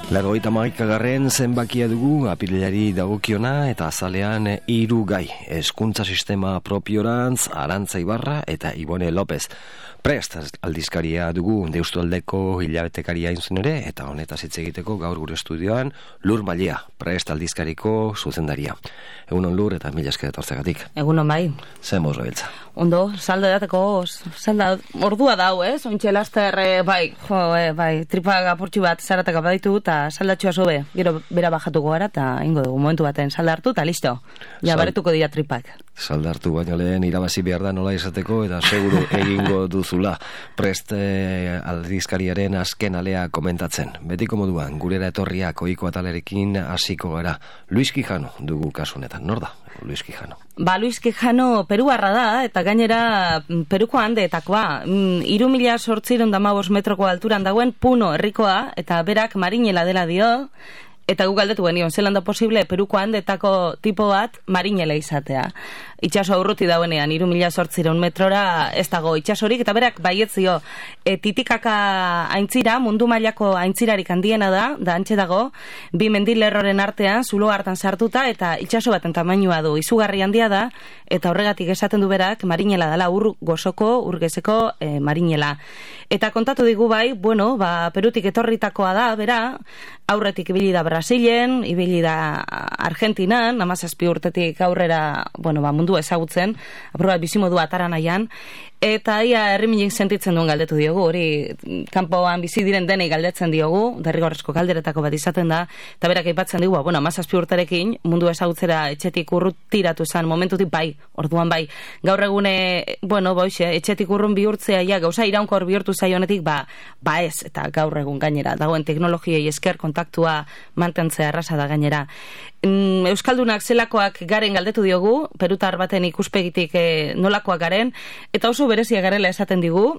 Laurogeita hamaikagarren zenbakia dugu apirilari dagokiona eta azalean 3 gai. Hezkuntza sistema propiorantz, Arantza Ibarra eta Ibone López. Prest aldizkaria dugu Deustualdeko hilabetekaria inzun ere, eta honetaz hitz egiteko gaur gure estudioan Lur Malia, Prest aldizkariko zuzendaria. Egunon Lur eta mila esker etortzegatik. Egunon bai. Zer moz gabiltza? Ondo, salda dateko, ordua dau, ointxe laster, bai, tripa apurtxu bat zarataka baditu, eta saldatxua sobe, gero bera bajatuko gara, eta ingo dugu momentu baten salda hartu, eta listo, ja baretuko dira tripak. Salda hartu baino lehen irabazi behar da nola izateko, eta seguru egingo duzula. Prest aldizkariaren azken alea komentatzen. Betiko moduan, gurera etorriak ohiko atalerekin hasiko gara. Luis Quijano dugu kasunetan, nor da? Luis Quijano. Luis Quijano peruarra da, eta gainera Peruko handeetakoa. 3.815 metroko alturan dagoen Puno herrikoa, eta berak marinela dela dio, eta gu galdetu genion, zelan da posible Peruko handeetako tipo bat marinela izatea. Itxaso aurruti dauenean, 3.815 metrora ez dago itxasorik, eta berak baietzio, Titikaka aintzira, mundu mailako aintzirarik handiena da antxe dago, 2 mendilerroren artean, zulo hartan sartuta, eta itxaso baten tamainua du, izugarri handia da, eta horregatik esaten du berak, marinela dela, ur gezeko marinela. Eta kontatu digu bai, Perutik etorritakoa da, bera, aurretik ibili da Brasilen, ibili da Argentinan, 17 urtetik aurrera, mundu ezagutzen, aprobat bizimodu atara nahian, eta ia herriminik sentitzen duen galdetu diogu, hori kanpoan bizi diren denei galdetzen diogu, derrigorrezko galderetako bat izaten da, eta berak aipatzen digu, 17 urterekin, mundu ezagutzera etxetik urrutiratu zen momentutik bai, orduan bai, gaur egune, etxetik urrun bihurtzea, gauza iraunkor bihurtu zaionetik, ez, eta gaur egun gainera, dagoen teknologiei esker kontaktua mantentzea erraza da gainera. Euskaldunak zelakoak garen galdetu diogu, perutar baten ikuspegitik nolakoak garen, eta oso berezia garela esaten du,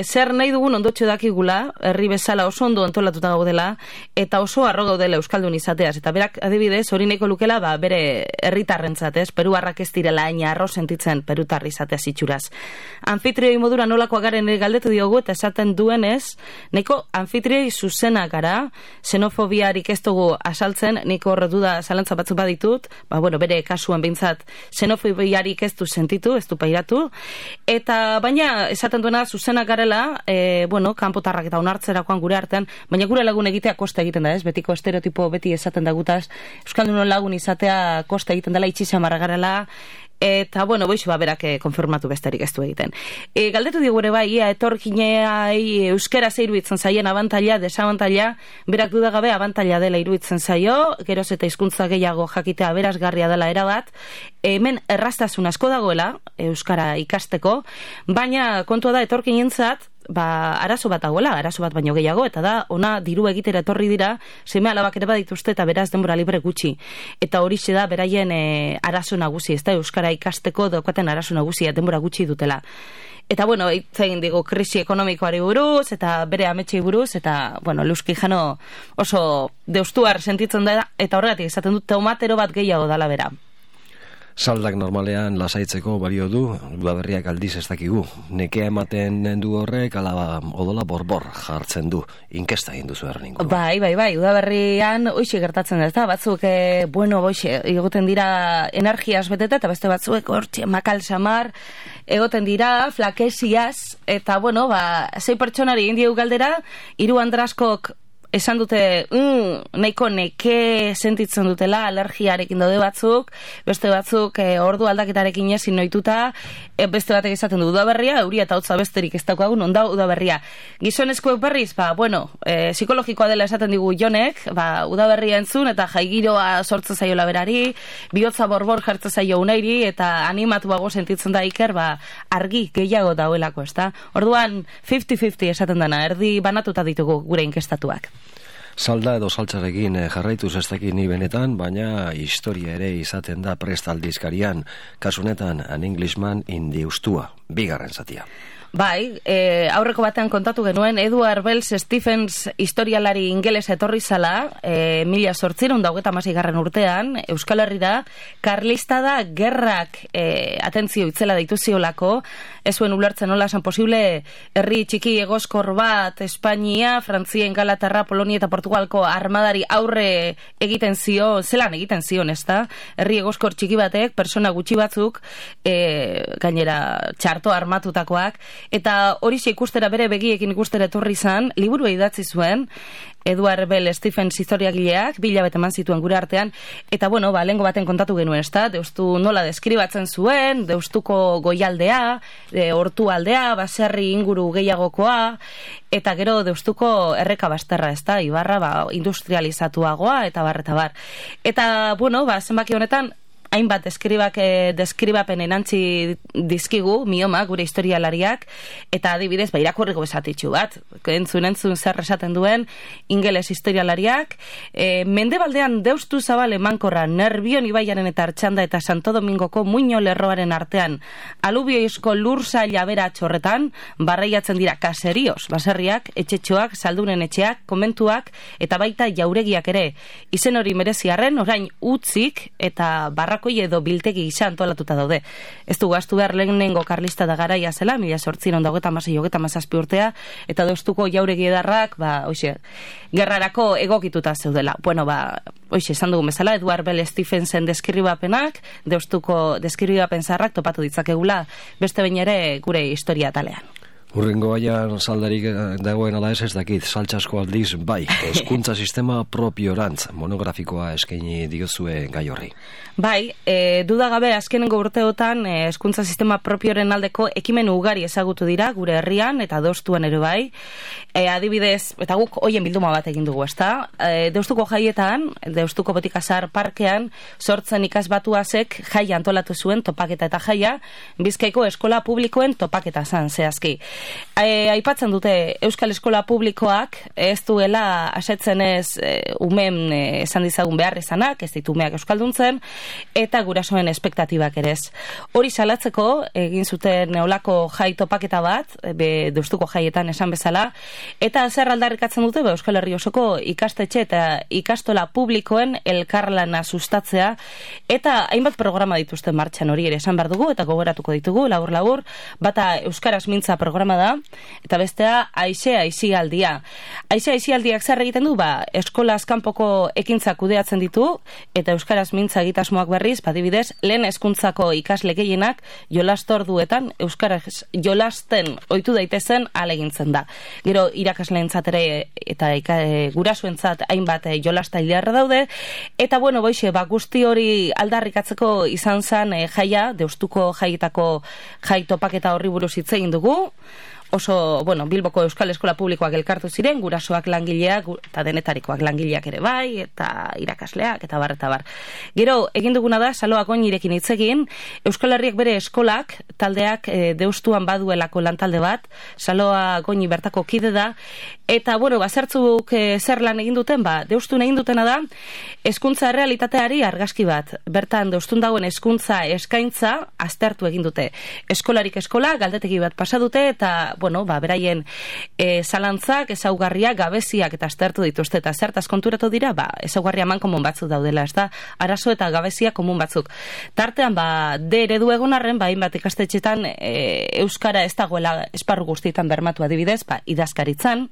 zer nahi dugun ondotxo dakigula, herri bezala oso ondo antolatuta gaudela, eta oso arro gaudela euskaldun izateaz, eta berak adibidez, hori nahiko lukela, bere herritarrentzat, peruarrak ez direla aina arro sentitzen perutarri izateaz itxuraz. Anfitrioi modura nolakoak garen galdetu diogu, eta esaten duenez, nahiko anfitrioi zuzena gara, xenofobiarik ez dugu asaltzen, nahiko horre duda zalantza batzu baditut, bere kasuan behintzat xenofobiarik ez du sentitu, ez du pairatu, eta baina esaten duena zuzenak garela, kanpotarrak eta onartzerakoan gure artean, baina gure lagun egitea kosta egiten da, ez? Betiko estereotipo beti esaten dagutaz, euskaldunon lagun izatea kosta egiten dela, itxisamarra garela, eta, berak konfirmatu besterik ez du egiten. Galdetu digure bai, etorkineai euskera ze iruditzen zaien abantaila, desabantaila, berak dudagabe abantaila dela iruditzen zaio, geroz eta hizkuntza gehiago jakitea berazgarria dela erabat, hemen erraztasun asko dagoela, euskara ikasteko, baina kontua da etorkinentzat, arazo bat dagoela, arazo bat baino gehiago, eta da, ona diru egitera etorri dira, seme alabak ere badituzte eta beraz denbora libre gutxi. Eta horixe da, beraien arazo nagusi, ez da, euskara ikasteko daukaten arazo nagusia, denbora gutxi dutela. Eta, itzain digo, krisi ekonomikoari buruz, eta bere ametsei buruz, eta, Luis Quijano oso deustuar sentitzen da, eta horregatik esaten dut, tomatero bat gehiago dala bera. Saldak normalean lasaitzeko balio du, udaberriak aldiz ez dakigu. Nekea ematen du horrek, ala odola borbor jartzen du. Inkesta egin duzu erreningo. Bai, udaberrian hoxe gertatzen da, batzuk, egoten dira energiaz beteta, eta beste batzuk hortxe makal samar, egoten dira flakesiaz, eta, 6 pertsonari indiegu galdera, 3 andraskok esan dute, nahiko neke sentitzen dutela, alergiarekin daude batzuk, beste batzuk ordu aldaketarekin ezin noituta, beste batek esaten du udaberria, euria eta hotza besterik ez daukagun, onda udaberria. Gizonezkoek berriz, psikologikoa dela esaten digu Jonek, udaberria entzun, eta jaigiroa sortzen zaio laberari, bihotza borbor jartzen zaio unairi, eta animatuago sentitzen da Iker, argi gehiago dauelako, ez da? Orduan, 50-50 esaten dena, erdi banatuta ditugu gure inkestatuak. Salda edo saltzarekin jarraituz ez dakit ni benetan, baina historia ere izaten da Prest aldizkarian, kasunetan An Englishman in the Ustua, 2. zatia. Bai, aurreko batean kontatu genuen Edward Wells Stephens historialari ingeles etorri zala, 1826 urtean, Euskal Herrira, karlista da gerrak atentzio itzela deitu ziolako, ez zuen ulertzen nola esan posible herri txiki egoskor bat Espainia, Frantzia, Ingalaterra, Polonia eta Portugalko armadari aurre egiten zion, zelan egiten zion, ezta? Herri egoskor txiki batek, persona gutxi batzuk, gainera txarto armatutakoak, eta hori ikustera bere begiekin ikustera etorri izan, liburua idatzi zuen, Edward Bell Stephens historiagileak, 2 hilabete eman zituen gure artean, eta bueno, lehengo baten kontatu genuen, ezta? Deustu nola deskribatzen zuen, Deustuko goialdea, Ortualdea, baserri inguru gehiagokoa, eta gero Deustuko erreka basterra, ezta? Ibarra industrializatuagoa, eta bar. Eta, bueno, zenbaki honetan, hainbat deskribapen enantzi dizkigu, mioma, gure historialariak, eta adibidez, irakurriko bezatitxu bat, entzun zer esaten duen, ingeles historialariak, mendebaldean Deustu zabal emankorra, Nerbion ibaiaren eta Artxanda eta Santo Domingoko muino lerroaren artean, alubioizko lursa labera txorretan, barreiatzen dira kaserioz, baserriak, etxetxoak, saldunen etxeak, komentuak, eta baita jauregiak ere, izen hori mereziarren, orain utzik, eta barrakoi edo biltegi gisa antolatuta daude. Ez du gaztu behar lehenengo karlista da garaia zela, 1826-27 urtea, eta Deustuko jauregi edarrak, gerrarako egokituta zeudela. Bueno, esan dugun bezala, Edward Bell Stephensen deskribapenak, Deustuko deskribapen zaharrak topatu ditzakegula, beste behin ere gure historia talean. Urrengo baian saldarik dagoen ala ez dakit, saltsasko aldiz, hezkuntza sistema propiorantz monografikoa eskaini diozue gai horri. Dudagabe azkenengo urteotan hezkuntza sistema propioren aldeko ekimen ugari ezagutu dira gure herrian eta Deustuan ere bai. Adibidez, eta guk hoien bilduma bat egin dugu, ezta? Deustuko jaietan, Deustuko Botikazar parkean, 8 ikasbatuazek jaia antolatu zuen topaketa eta jaia, Bizkaiko eskola publikoen topaketa zan zehazki. Aipatzen dute Euskal Eskola Publikoak ez duela asetzen ez umen esan dizagun behar izanak, ez ditu umeak euskalduntzen, eta gurasoen espektatibak ere ez. Hori salatzeko egin zuten neolako jai topaketa bat, Deustuko jaietan esan bezala, eta zer aldarrikatzen dute Euskal Herri osoko ikastetxe eta ikastola publikoen elkarlana sustatzea, eta hainbat programa dituzten martxan hori ere esan behar dugu, eta gogoratuko ditugu, labur, bata Euskaraz mintza programa da, eta bestea aizialdia. Aizialdiak zer egiten du, eskolaz kanpoko ekintzak kudeatzen ditu, eta Euskaraz mintza egitasmoak berriz, adibidez, lehen hezkuntzako ikasle gehienak jolastorduetan Euskaraz jolasten ohitu daitezen ahalegintzen da. Gero irakasleentzat ere eta gurasoentzat hainbat jolastailearra daude, eta bueno, guzti hori aldarrikatzeko izan zen jaia, Deustuko jaietako jai topaketa horri buruz hitz egin dugu. Oso, Bilboko Euskal Eskola Publikoak elkartu ziren, gurasoak langileak, eta denetarikoak langileak ere bai, eta irakasleak, eta bar. Gero, egin duguna da, Saloak Oñirekin hitz egin, Euskal Herriak bere eskolak, taldeak Deustuan baduelako lantalde bat, Saloak Oñi bertako kide da, eta, zertzuk zer lan egin duten, Deustun egin dutena da, hezkuntza errealitateari argazki bat. Bertan, Deustun dagoen hezkuntza eskaintza aztertu egin dute. Eskolarik eskola, galdetegi bat pasa dute, eta beraien zalantzak, ezaugarriak, gabeziak eta aztertu dituzte, eta zertaz konturatu dira, ezaugarria eman komun batzuk daudela, ez da, arazo eta gabeziak komun batzuk. Tartean, D eredu egon arren, hainbat ikastetxetan euskara ez dagoela esparru guztietan bermatu adibidez, idazkaritzan,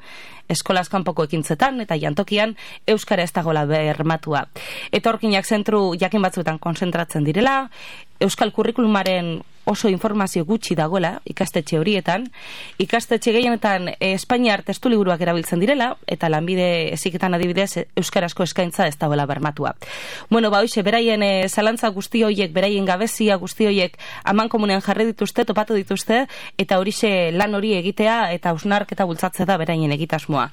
eskolaz kanpoko ekintzetan, eta jantokian euskara ez dagoela bermatua. Etorkinak zentru jakin batzuetan konzentratzen direla, euskal kurrikulumaren oso informazio gutxi dagoela ikastetxe horietan, ikastetxe gehienetan Espainiar testuliburuak erabiltzen direla, eta lanbide eziketan adibidez euskarazko eskaintza ez dagoela bermatua. Beraien zalantza guzti horiek, beraien gabezia guzti horiek aman komunean jarri dituzte, topatu dituzte, eta horixe lan hori egitea eta hausnarketa bultzatzea da beraien egitasmoa.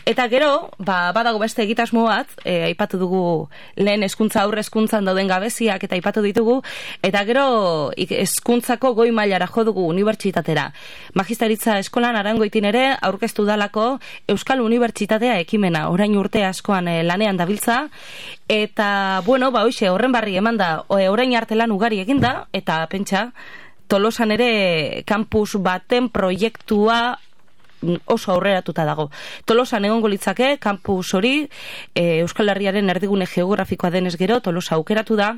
Eta gero, badago beste egitasmo bat, aipatu dugu lehen hezkuntza aurre hezkuntzan dauden gabeziak eta aipatu ditugu, eta gero hezkuntzako goi mailara jo dugu unibertsitatera. Magisteritza eskolan Arangoitin ere aurkeztu dalako Euskal Unibertsitatea ekimena, orain urte askoan lanean dabiltza, eta horren barri eman da, orain arte lan ugari eginda, eta pentsa, Tolosan ere kampus baten proiektua oso aurreratuta dago. Tolosan egongo litzake, kampus hori, Euskal Herriaren erdigune geografikoa denez gero, Tolosa aukeratu da,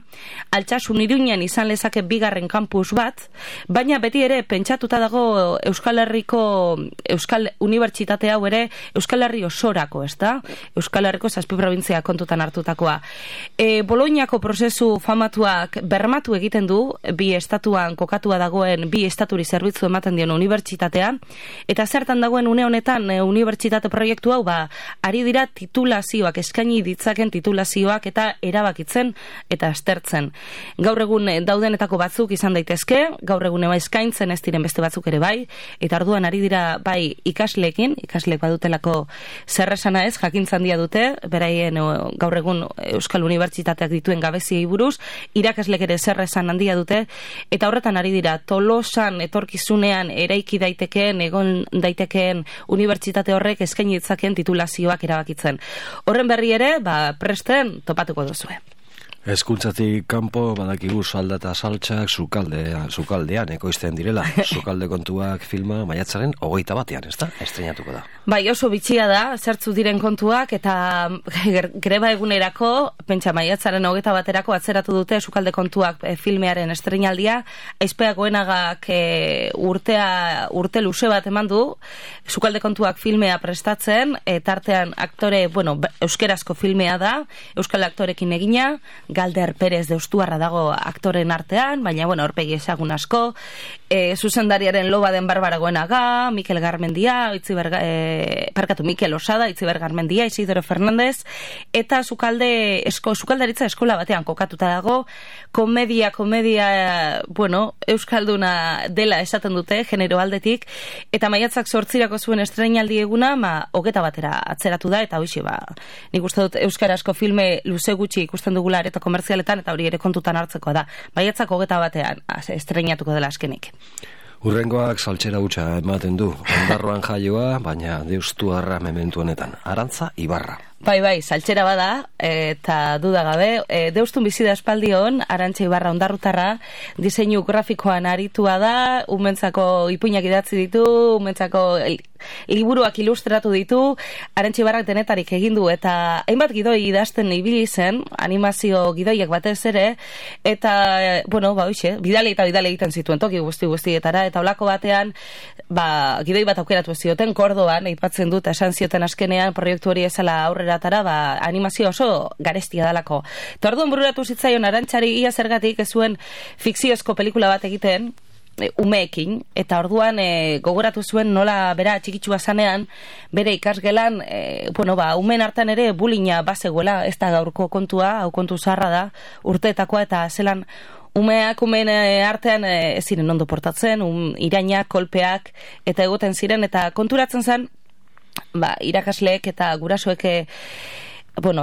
Altsasun Iruñan izan lezake bigarren kampus bat, baina beti ere pentsatuta dago Euskal Herriko, Euskal Unibertsitate hau ere, Euskal Herri osorako, ez da? Euskal Herriko 7 probintzia kontutan hartutakoa. Boloñako prozesu famatuak bermatu egiten du, bi estatuan kokatua dagoen, bi estaturi zerbitzu ematen dion unibertsitatea, eta zertan dagoen une honetan unibertsitate proiektu hau, ari dira titulazioak, eskaini ditzaken titulazioak eta erabakitzen eta aztertzen. Gaur egun daudenetako batzuk izan daitezke, gaur egun eskaintzen ez diren beste batzuk ere bai, eta orduan ari dira bai ikasleekin, ikasleek badutelako zerresana ez, jakintzan dia dute, beraien gaur egun Euskal Unibertsitateak dituen gabeziei buruz, irakaslek ere zerresan handia dute, eta horretan ari dira Tolosan etorkizunean eraiki daitekeen, egon daitekeen unibertsitate horrek eskaini ditzaken titulazioak erabakitzen. Horren berri ere, presten topatuko duzue. Hezkuntzatik kanpo badakigu salda eta saltxak sukaldean ekoizten direla. Sukalde kontuak filma maiatzaren 21ean, ez da? Estreinatuko da. Bai, oso bitxia da, zertzu diren kontuak, eta greba egunerako, pentsa maiatzaren 21erako atzeratu dute sukalde kontuak filmearen estreinaldia. Aizpea Goenagak urte luze bat eman du, sukalde kontuak filmea prestatzen, tartean aktore, euskerazko filmea da, euskal aktorekin egina, Galder Perez Deustuarra dago aktoren artean, baina, aurpegi ezagun asko, zuzendariaren Loba den Barbara Goenaga, Mikel Garmendia, Mikel Osada, Itziber Garmendia, Isidoro Fernandez, eta sukaldaritza eskola batean kokatuta dago, komedia, euskalduna dela esaten dute, genero aldetik, eta maiatzak 8 zuen estreinaldi eguna, 21 atzeratu da, eta hoxe, nik uste dut euskarazko filme luze gutxi ikusten dugula eta komertzialetan, eta hori ere kontutan hartzeko da. Maiatzak 21 estreinatuko dela azkenik. Urrengoak saltxera hutsa ematen du. Ondarroan jaioa, baina Deustuarra mementu honetan. Arantza Ibarra. Bai, saltxera bada, eta dudagabe, Deustun bizi da espaldion, Arantza Ibarra ondarrutarra, diseinu grafikoan aritua da, umentzako ipuinak idatzi ditu, umentzako liburuak ilustratu ditu, Arantza Ibarrak denetarik egin du, eta hainbat gidoi idazten ibili zen, animazio gidoiak batez ere, eta, bidale egiten zituen toki guztietara, eta olako batean, gidoi bat aukeratu zioten, Kordoban, aipatzen dut, esan zioten azkenean, proiektu hori ezala aurrera animazio oso garestia dalako. Eta orduan bururatu zitzaion Arantzari ia zergatik ez zuen fikziozko pelikula bat egiten, umeekin, eta orduan gogoratu zuen nola bera txikitsua zanean, bere ikasgelan, umen hartan ere bulina bazegoela, ez da gaurko kontua, hau kontu zaharra da, urteetakoa, eta zelan umen artean ez ziren ondo portatzen, irainak, kolpeak, eta egoten ziren, eta konturatzen zen, irakasleek eta gurasoek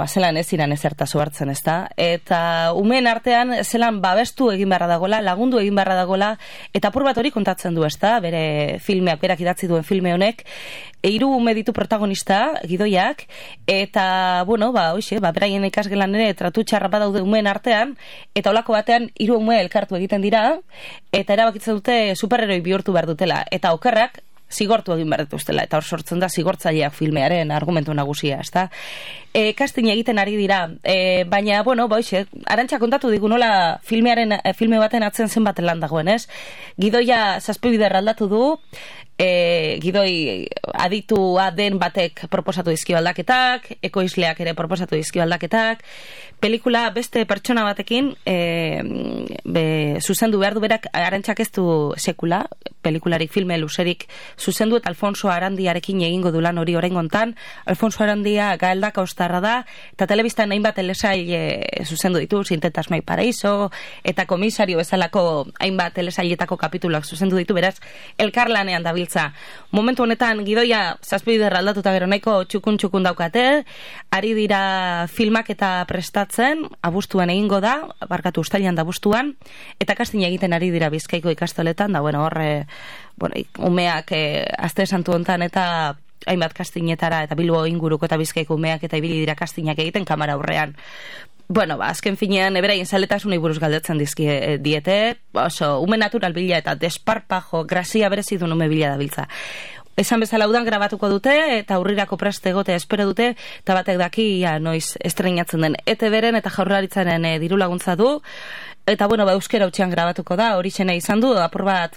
zelan ez ziren ezertazo hartzen, ez da? Eta umeen artean zelan babestu egin beharra dagoela, lagundu egin beharra dagoela, eta apur bat hori kontatzen du, ez da? Bere filmeak, berak idatzi duen filme honek, 3 ume ditu protagonista, gidoiak, eta, beraien ikasgelan ere tratu txarra badaude umeen artean, eta olako batean 3 ume elkartu egiten dira, eta erabakitzen dute superheroi bihurtu behar dutela, eta okerrak zigortu egin behar dituztela, eta hor sortzen da zigortzaileak filmearen argumentu nagusia, ezta? Casting egiten ari dira, baina, Arantxa kontatu digu nola filme baten atzen zenbat lan dagoen, ez? Gidoia 7 bider aldatu du, gidoi aditua den batek proposatu dizkio aldaketak, ekoizleak ere proposatu dizkio aldaketak, pelikula beste pertsona batekin zuzendu behar du berak, Arantxak ez du sekula, pelikularik, filme luzerik zuzendu, eta Alfonso Arandiarekin egingo du lan hori oraingontan. Alfonso Arandia gaeldaka ostarra da, eta telebistan hainbat telesail zuzendu ditu, Sintetasmai Paraiso, eta komisario bezalako hainbat telesailetako kapituluak zuzendu ditu, beraz, elkarlanean dabiltza. Momentu honetan, gidoia 7 bider aldatuta gero nahiko txukun daukate, ari dira filmak eta prestatzen, abuztuan egingo da, uztailean da abuztuan, eta casting egiten ari dira Bizkaiko ikastoletan, da, umeak aste santu hontan eta hainbat castingetara, eta Bilbo inguruko eta Bizkaiko umeak eta ibili dira castingak egiten kamera aurrean. Azken finean, beraien zaletasunei buruz galdetzen diete, ume natural bila eta desparpajo, grazia berezidun ume bila dabiltza. esan bezala udan grabatuko dute, eta aurrirako prest egotea espero dute, eta batek daki, noiz estreinatzen den ETB-ren eta Jaurlaritzaren diru laguntza du, eta, euskera utxean grabatuko da, hori xena izan du, apur bat,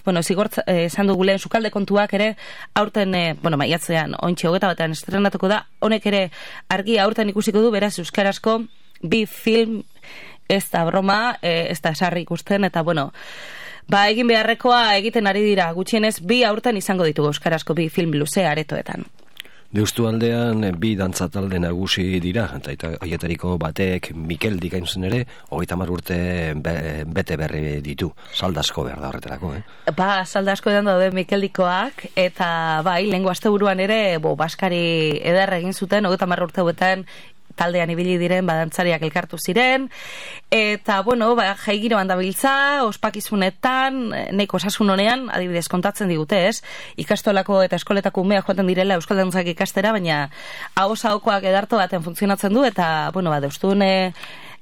esan dugu lehen sukalde kontuak ere, aurten, maiatzean, ontsi hogeta batean estrenatuko da, honek ere argia aurten ikusiko du, beraz, euskarazko bi film, ez da broma, ez da esarri ikusten, eta, egin beharrekoa egiten ari dira, gutxienez, bi aurten izango ditugu euskarazko bi film luze aretoetan. Deustu aldean bi dantza talde nagusi dira, eta haietariko batek Mikel Dikainzen ere, 30 urte bete berri ditu. Saldasko behar da horretarako, Saldasko edan daude Mikel Dikoak, eta lehengo asteburuan ere, baskari eder egin zuten, 30 urte hauetan, taldean ibili diren badantzariak elkartu ziren, eta, jaigiroan dabiltza, ospakizunetan, neko osasun honean, adibidez kontatzen digute, ez? Ikastolako eta eskoletako umeak joaten direla euskal dantzak ikastera, baina ahosaokoak edarto baten funtzionatzen du, eta,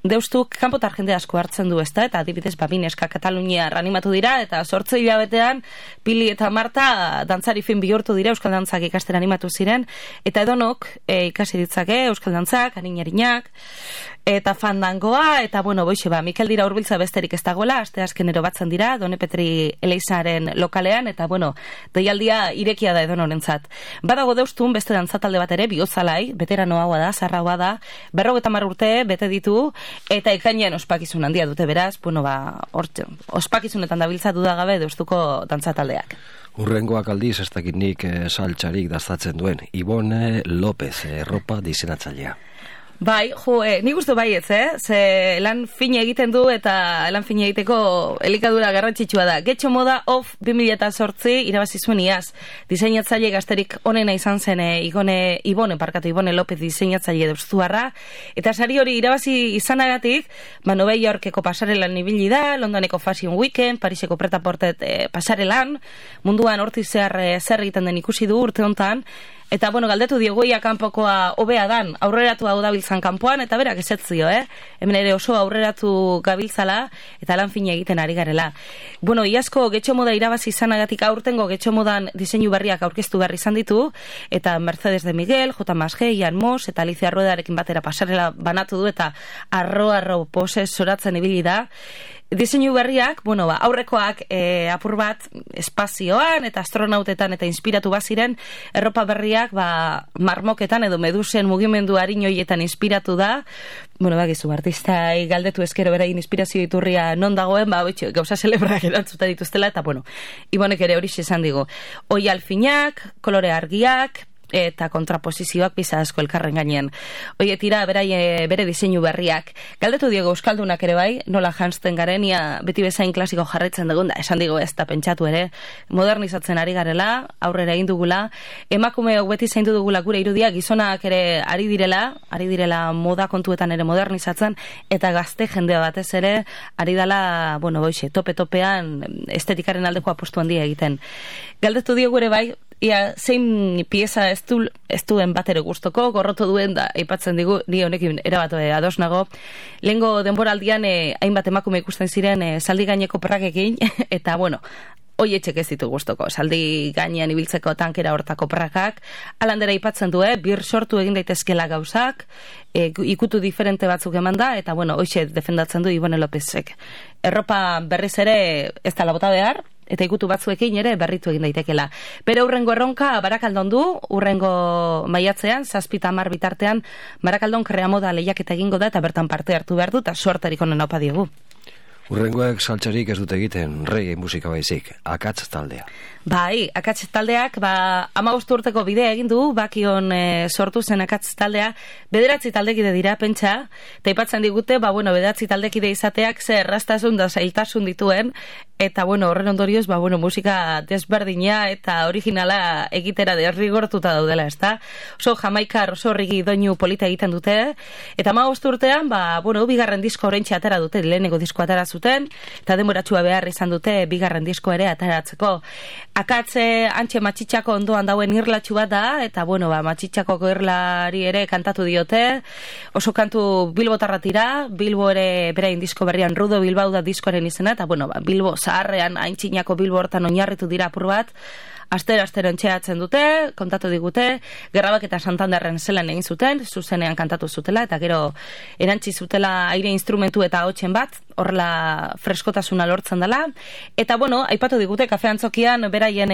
Deustuk kanpotar jende asko hartzen du, ezta, eta adibidez Bineska Katalunia animatu dira, eta 8 hilabetean Pili eta Marta dantzari fin bihurtu dira euskal dantzak ikastera animatu ziren, eta edonok ikasi ditzake euskal dantzak, arinarinak, eta fandangoa, eta Mikel dira hurbiltza besterik ez dagoela, asteazkenero batzen dira, Done Petri Eleizaren lokalean, eta deialdia irekia da edonorentzat. Badago Deustun beste dantzatalde bat ere, Biozalai, veteranoa da, zarraua da, 50 urte bete ditu, eta ekainean ospakizun handia dute beraz, ospakizunetan dabiltza dudagabe Deustuko dantzataldeak. Urrengoak aldiz, ez dakit nik saltxarik daztatzen duen, Ibone López, erropa diseinatzailea. Nik uste baietz, ze lan fine egiten du eta lan fine egiteko elikadura garrantzitsua da. Getxo Moda Off 2008 irabazi zuen iaz. Diseinatzaile gazterik onena izan zen Ibone López diseinatzaile deustuarra, eta sari hori irabazi izanagatik, Nova Yorkeko pasarelan ibili da, Londoneko Fashion Weekend, Pariseko Pret-a-Porter pasarelan, munduan hortiz zer egiten den ikusi du urte hontan, eta, galdetu diogu ia kanpokoa hobea dan, aurreratu hau dabiltzan kanpoan, eta berak esetzio, Hemen ere oso aurreratu gabiltzala, eta lan fina egiten ari garela. Iazko Getxo Moda irabazi izanagatik aurtengo Getxo Modan diseinu berriak aurkeztu berri izan ditu, eta Mercedes de Miguel, J. Masge, Ian Moss, eta Alicia Ruedarekin batera pasarela banatu du, eta arro pose zoratzen ibili da. Diseinu berriak, aurrekoak apur bat espazioan eta astronautetan eta inspiratu baziren, erropa berriak marmoketan edo medusen mugimendu harinoietan inspiratu da. Bagizu, artistai galdetu eskero berain inspirazio iturria non dagoen, gauza celebrak erantzuta dituztela, eta Ibonek ere hori esan digo. Oi alfinak, kolore argiak, eta kontraposizioak biza asko elkarren gainean. Oie tira, bere diseinu berriak. Galdetu diego euskaldunak ere bai, nola janzten garen, ia beti bezain klasiko jarraitzen dugun, da, esan digo ez da pentsatu ere, modernizatzen ari garela, aurrera egin dugula, emakumeok beti zaindu dugula gure irudia, gizonak ere ari direla moda kontuetan ere modernizatzen, eta gazte jendea batez ere, ari dela, tope-topean estetikaren aldeko apostu handia egiten. Galdetu diego ere bai, ia zein pieza ez duen batero gustoko, gorroto duen da, aipatzen digu, ni honekin erabatu ados nago. Lehengo denboraldian hainbat emakume ikusten ziren zaldi gaineko prakekin, eta hoi etxek ez ditu gustoko, zaldi gainean ibiltzeko tankera hortako prakak, alandera aipatzen du, bir sortu egin daitezkela gauzak, ikutu diferente batzuk eman da, eta hoxe defendatzen du Ibone Lópezek. Erropa berriz ere ez da labota behar, eta ikutu batzuekin ere berritu egin daitekela. Bere urrengo erronka Barakaldon du, urrengo maiatzean, 7-10 bitartean, Barakaldon Kreamoda lehiaketa egingo da, eta bertan parte hartu behar du, eta suertarik onen opa diegu. Urrengoek saltxarik ez dute egiten reggae musika baizik, Akats taldea. Akats taldeak 15 urteko bidea egin du, bakion sortu zen Akats taldea, 9 taldekide dira, pentsa, eta ipatzen digute, 9 taldekide izateak zer erraztasun da zailtasun dituen, eta horren ondorioz, musika desberdina eta originala egitera derrigortuta daudela, ezta? Oso jamaikar, oso rigi doinu polita egiten dute, eta 15 urtean, bigarren disko oraintxe atera dute, lehenengo disko atera zuten, eta denboratxua behar izan dute bigarren disko ere ateratzeko. Akatze antxe matxitxako ondoan dauen irlatxu bat da, eta matxitxako irlari ere kantatu diote, oso kantu Bilbotarra tira, Bilbo ere berain disko berrian Rudo Bilbao da diskoaren izena, eta Bilbo zaharrean, aintzinako Bilbo hortan oinarritu dira apur bat, astero entxeatzen dute, kontatu digute, Gerrabak eta Santanderren zelan egin zuten, zuzenean kantatu zutela, eta gero erantzi zutela aire instrumentu eta hotxen bat, horrela freskotasuna lortzen dela, eta bueno, aipatu digute Kafe Antzokian beraien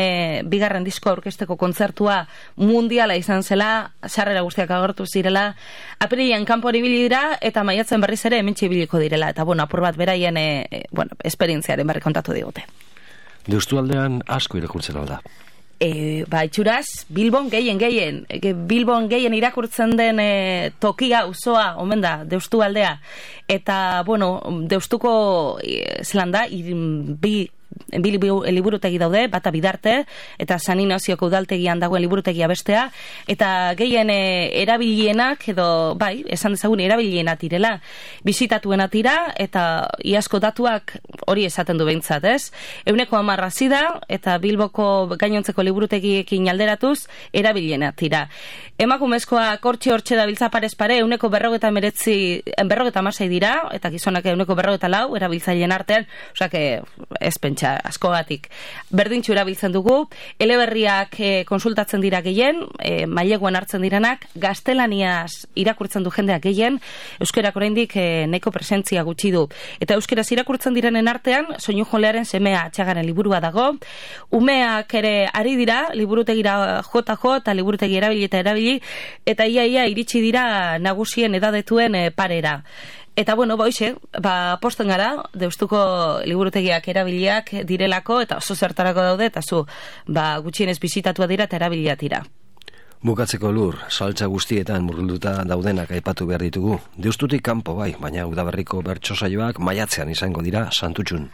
bigarren disko aurkezteko kontzertua mundiala izan zela, sarrera guztiak agortu zirela, apirilean kanpoan ibili dira, eta maiatzen berriz ere hementxe ibiliko direla, eta bueno, apur bat beraien esperientziaren berri kontatu digute. Deustu aldean asko irakurtzen alda. Itxuraz, Bilbon gehien irakurtzen den tokia, uzoa, omen da, Deustu aldea. Eta, bueno, Deustuko zelan da, bi liburutegi daude, bata Bidarte, eta San Inazioko udaltegian dagoen liburutegia bestea, eta gehien erabilienak, edo, bai, esan dezagun erabilienak direla, bisitatuena tira, eta iazko datuak hori esaten du behintzat, ez? 10% da, eta Bilboko gainontzeko liburutegiekin alderatuz, erabilienak tira. Emakumezkoa hortxe dabiltza parez pare, 40-46 dira, eta gizonak 40-44 erabiltzaileen artean, osea, ez pentsa askogatik. Berdintxu erabiltzen dugu, eleberriak konsultatzen dira gehien, maileguan hartzen direnak, gaztelaniaz irakurtzen du jendeak gehien, euskerak oraindik neko presentzia gutxi du. Eta euskeraz irakurtzen direnen artean, Soinu Jolearen Semea Atxagaren liburua dago, umeak ere ari dira, liburutegira JJ eta liburutegi erabili, eta ia iritsi dira nagusien edadetuen parera. Eta bueno, boixe, posten gara, Deustuko liburutegiak erabiliak direlako, eta oso zertarako daude, eta gutxienez bisitatua dira eta erabiliak dira. Bukatzeko Lur, saltza guztietan murgilduta daudenak aipatu behar ditugu. Deustutik kanpo bai, baina udaberriko bertso saioak maiatzean izango dira Santutxun.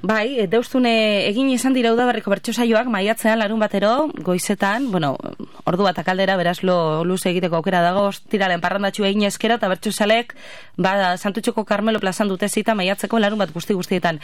Bai, Deustun egin izan dira udaberriko bertso saioak maiatzean larun batero, goizetan, bueno, ordu bat akaldera, beraz luze egiteko aukera dago, tiralen parrandatxu egin eskera, eta bertso salek, Santutxuko Karmelo plazan dute zita maiatzeko larun bat guztietan.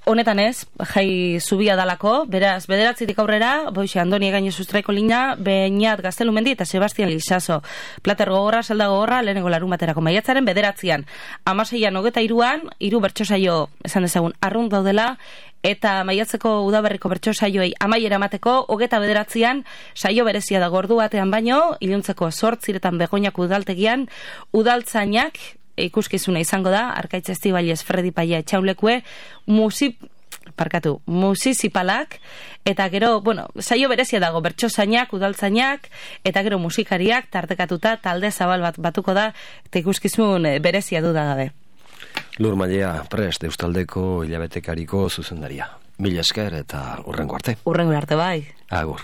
Honetan ez, jai zubia dalako, beraz, 9 aurrera, boixe, Andoni Egaino Sustraiko Lina, Beñat Gaztelumendi eta Sebastian Lizaso. Plater gogorra, zelda gogorra, lehenengo larun baterako maiatzaren 9, 16an 23an, 3 bertso saio, esan dezagun, arrunt daudela, eta maiatzeko udaberriko bertso saioei amaiera emateko, 29an, saio berezia dago ordu batean baino, iluntzeko 8 Begoñako udaltegian, udaltzainak, ikuskizuna izango da, Arkaitz Estibailez Fredi Paia etxaulekue, musizipalak, eta gero, bueno, saio berezia dago, bertsozainak, udaltzainak, eta gero musikariak, tartekatuta, talde zabal batuko da, eta ikuskizun berezia du da gabe. Lur Mailea, prest, Eustaldeko hilabetekariko zuzendaria. Mila esker eta hurrengo arte. Hurrengo arte bai. Agur.